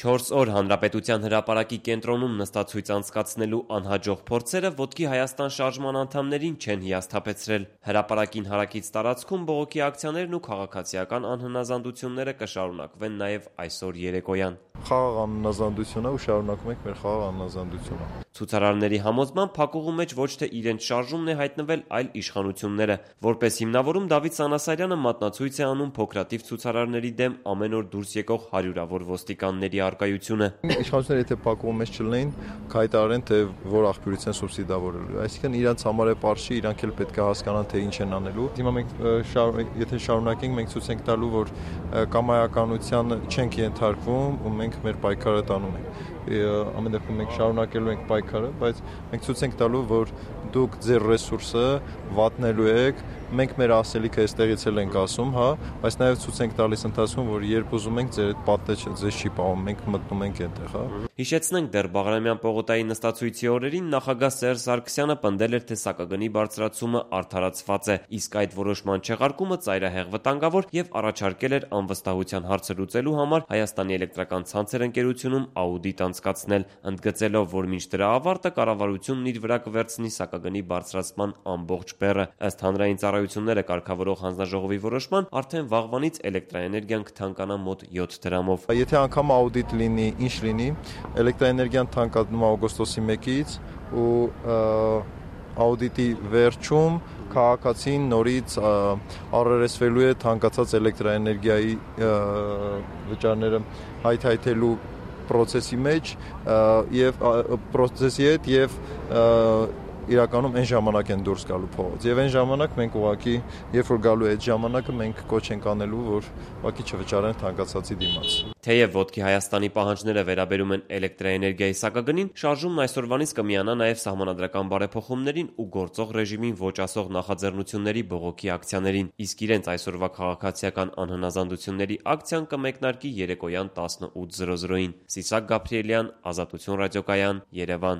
4 օր Հանրապետության հրապարակի կենտրոնում նստացույց անցկացնելու անհաջող փորձերը Ոտքի Հայաստան շարժման անդամներին չեն հիասթափեցրել։ Հրապարակին հարակից տարածքում բողոքի ակցիաներն ու քաղաքացիական անհնազանդությունները կշարունակվեն նաև այսօր երեկոյան։ Խաղաղ անհնազանդություն է ու շարունակում ենք մեր խաղաղ անհնազանդությունը։ Ցուցարարների համոզմամբ փակուղու մեջ ոչ թե իրենց շարժումն է հայտնվել, այլ իշխանությունները։ Որպես հիմնավորում Դավիթ Սանասարյանը մատնացույց է անում փոքրաթիվ ցուցարարների դեմ ամեն օր դուրս եկող հարյուրավոր ոստիկանների առկայությունը։ Իշխանությունները եթե փակուղու մեջ չլինեն, կհայտարարեն, թե որ աղբյուրից են սուբսիդավորելու։ Այսինքն իրանց համար է պարզ չի, իրանք էլ պետք է հասկանան, թե ինչ են անելու։ Հիմա մենք եթե շարունակենք, մենք ցույց ենք տալու, որ կամայականության չենք ենթարկվում ու մենք մեր պայքարը տանում ենք։ Ամեն դեպքում մենք շարունակելու ենք պայքարը, բայց մենք ցույց ենք տալու, որ դուք ձեր ռեսուրսը վատնելու եք, մենք մեր ասելիքը այստեղից էլ ենք ասում, հա, բայց նաև ցույց ենք տալիս ընթացքում, որ երբ ուզում ենք ձեր այդ պատը ձեզ չի պահում, մենք մտնում ենք այնտեղ, հա։ Հիշեցնենք, դեռ Բաղրամյան պողոտայի նստացույցի օրերին նախագահ Սերժ Սարգսյանը պնդել էր, թե սակագնի բարձրացումը արդարացված է, իսկ այդ որոշման չեղարկումը ծայրահեղ վտանգավոր եւ առաջարկել էր անվստահության հարցը լուծելու համար Հայաստանի էլեկտրական ցանցեր ընկերությունում աուդիտ անցկացնել, ընդգծելով, որ մինչ դրա ավարտը կառավարությունն իր վրա կվերցնի սակագնի բարձրացման ամբողջ բեռը։ Ըստ հանրային ծառայությունները կարգավորող հանձնաժողովի որոշման, արդեն վաղվանից էլեկտրաէներգիան կթանկանա մոտ 7 դրամով։ Եթե անգամ աուդիտ լինի, ինչ լինի, էլեկտրաէներգիան թանկանում է օգոստոսի 1-ից ու աուդիտի վերջում քաղաքացին նորից առերեսվելու է թանկացած էլեկտրաէներգիայի վճարները հայթայթելու process-ի մեջ եւ process-ի հետ եւ իրականում այն ժամանակ են դուրս գալու փողոց։ Եվ այն ժամանակ մենք ուղղակի, երբ որ գալու է այդ ժամանակը, մենք կոչ ենք անելու, որ ուղղակի չվճարեն թանկացածի դիմաց։ Թեև Ոտքի Հայաստանի պահանջները վերաբերում են էլեկտրաէներգիայի սակագնին, շարժումն այսօրվանից կմիանա նաև սահմանադրական բարեփոխումներին ու գործող ռեժիմին ոչ ասող նախաձեռնությունների բողոքի ակցիաներին, իսկ իրենց այսօրվա քաղաքացիական անհնազանդությունների ակցիան կմեկնարկի երեկոյան 18:00-ին։ Սիսակ Գաբրիելյան, Ազատություն ռադիոկայան, Երևան։